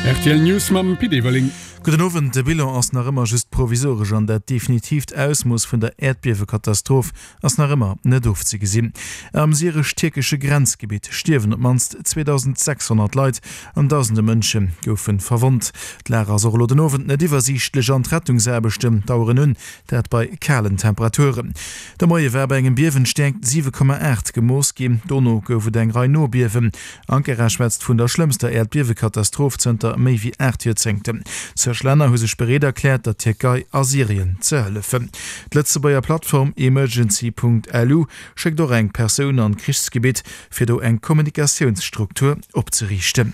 Rtl News mam Pit Everling. Gudden Owend. De Bilan ass nach ëmmer just provisoresch an dat definitiivt Ausmooss vun der Äerdbiewekatastroph ass nach ëmmer net ofzegesinn. Am syresch-tierkesche Grenzgebitt stierwen op d'mannst 2.600 Leit an dausende Mënsche goufe verwonnt. D'Lag ass och elo den Owend net iwwersiichtlech an d'Rettungsaarbechten daueren un, dat bei kalen Temperaturen. De Moie war bei engem Biewen d'Stäerkt 7,8 gemooss ginn, dono gouf et eng Rei Nobiewen. Ankara schwätzt vun der schlëmmster Äerdbiewekatastroph zënter méi wéi 8 Joerzéngten. Zeg Länner hu sech bereet erkläert, der Tierkei a Syrien ze hëllefen. D'Lëtzebuerger Plattform Emergency.lu schéckt och eng Persoun an d'Krichsgebitt, fir do eng Kommunikatiounsstruktur opzeriichten.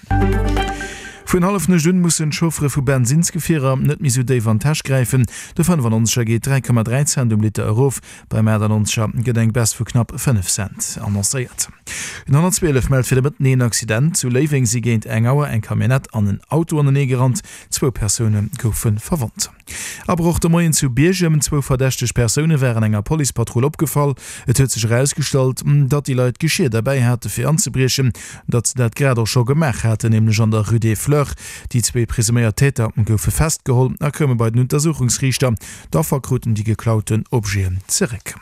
Vun Hallefnuecht un mussen d'Chauffere vu Bensinnsgefierer net méi sou déif an d'Täsch gräifen. De 95er geet 3,3 Cent um Liter erof, Beim 98er gëtt eng Baisse vu knapp 5 Cent annoncéiert. Den 112 mellt fir de Mëtten een Accident. Zu Léiweng si géint eng Auer eng Camionnette an en Auto anenee gerannt. Zwou Persoune goufe verwonnt. Abroch de Moien zu Biergem. Zwou verdächteg Persoune waren enger Policepatrull opgefall. Et huet sech erausgestallt, datt déi Leit Geschier derbäi hate fir anzebriechen, datt se dat grad och scho gemaach haten, nämlech an der Rue des Fleurs. Déi zwee presuméiert Täter goufe festgeholl a koume bei den Untersuchungsriichter. D'Affer kruten déi geklauten Objeten zeréck.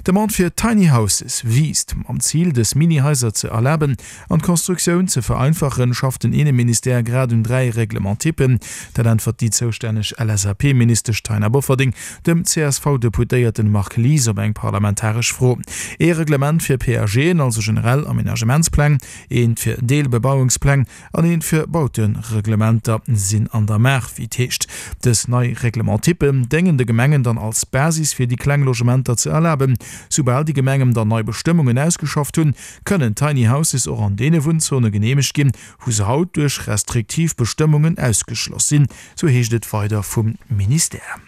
D'Demande fir Tiny Houses wiisst. Mam Zil, dës Mini-Haiser ze erlaben an d'Konstruktioun ze vereinfachen, schafft den Inneministère grad un 3 Règlement-typen. Dat äntwert déi zoustänneg LSAP-Ministesch Taina Bofferding dem CSV-Deputéierten Marc Lies op eng parlamentaresch Fro. Ee Reglement fir PAGen, also generell Amenagementspläng, eent fir Deelbebauungspläng An eent fir Bautereglementer sinn an der Maach, wéi et heescht. Dës nei Règlement-typen déngen de Gemengen dann als Basis fir déi kleng Logementer ze erlaben. Soubal déi Gemengen dann nei Bestëmmungen ausgeschafft hunn, kënnen Tiny Houses och an deene Wunnzone geneemegt ginn, wou se haut duerch restriktiv Bestëmmungen ausgeschloss sinn, sou heescht et weider vum Ministère.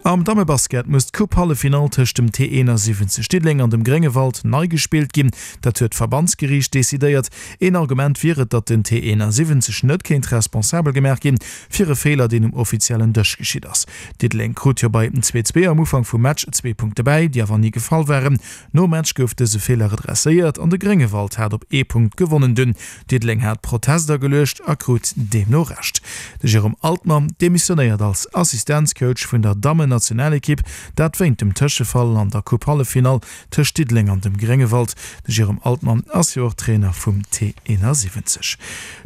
Am Dammebasket muss d'Coupe-Halleffinall tëscht dem T71 Diddeleng an dem Gréngewald nei gespillt ginn. Dat huet d'Verbandsgeriicht decidéiert. Een Argument wier et, datt den T71 net kéint responsabel gemaach ginn fir e Feeler, deen um offiziellen Dësch geschitt ass. Diddeleng krut jo bei 2, 2 am Ufank vum Match zwee Punkte bäi, déi awer ni gefall waren. Nom Match gouf dëse Feeler redresséiert an de Gréngewald hat op ee Punkt gewonnen. Dunn Diddeleng hat Protest ageluecht a krut deemno Recht. De Jérôme Altmann demissionéiert als Assistenzcoach vun der Dammen-Nationalekipp, dat wéint dem Tëschefall an der Coupe-Halleffinall Tëscht Diddeleng an dem Gréngewald. De Jérôme Altmann ass jo och Trainer vum T71.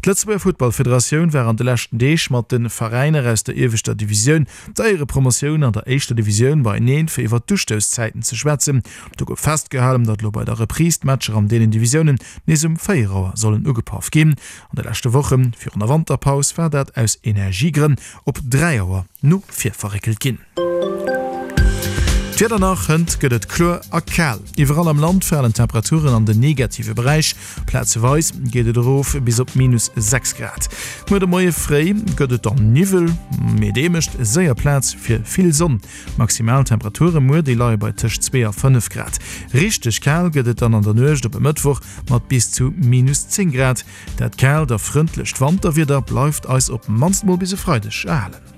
D'Lëtzebuerger Futtballfederatioun war an de leschten Deeg mat de Veräiner aus der ieweschter Divisioun, der Éierepromotioun an der éischter Divisioun beieneen, fir iwwer d'Ustousszäiten ze schwätzen. Do gouf festgehalen, datt elo bei der Reprise d'Matcher an deenen Divisiounen nees um 4 Auer sollen ugepaff ginn. An de leschte Woche virun der Wanterpaus war dat aus Energiegrënn op 3 Auer no vir verréckelt ginn. D'Wieder nach, Hënt gëtt et kloer a kal. Iwwerall am Land falen d'Temperaturen an den negative Beräich, plazeweis geet et erof bis op minus 6 Grad. Muer de Moie fréi gëtt et dann Niwwel, mee dee mécht séier Plaz fir vill Sonn. D'Maximaltemperature muer, déi leie bei tëscht 2 a 5 Grad. Richteg kal gëtt et dann an der Nuecht op e Mëttwoch mat bis zu minus 10 Grad. Dat kaalt a frëndlecht Wanterwieder bleift eis op mannst mol bis e Freideg erhalen.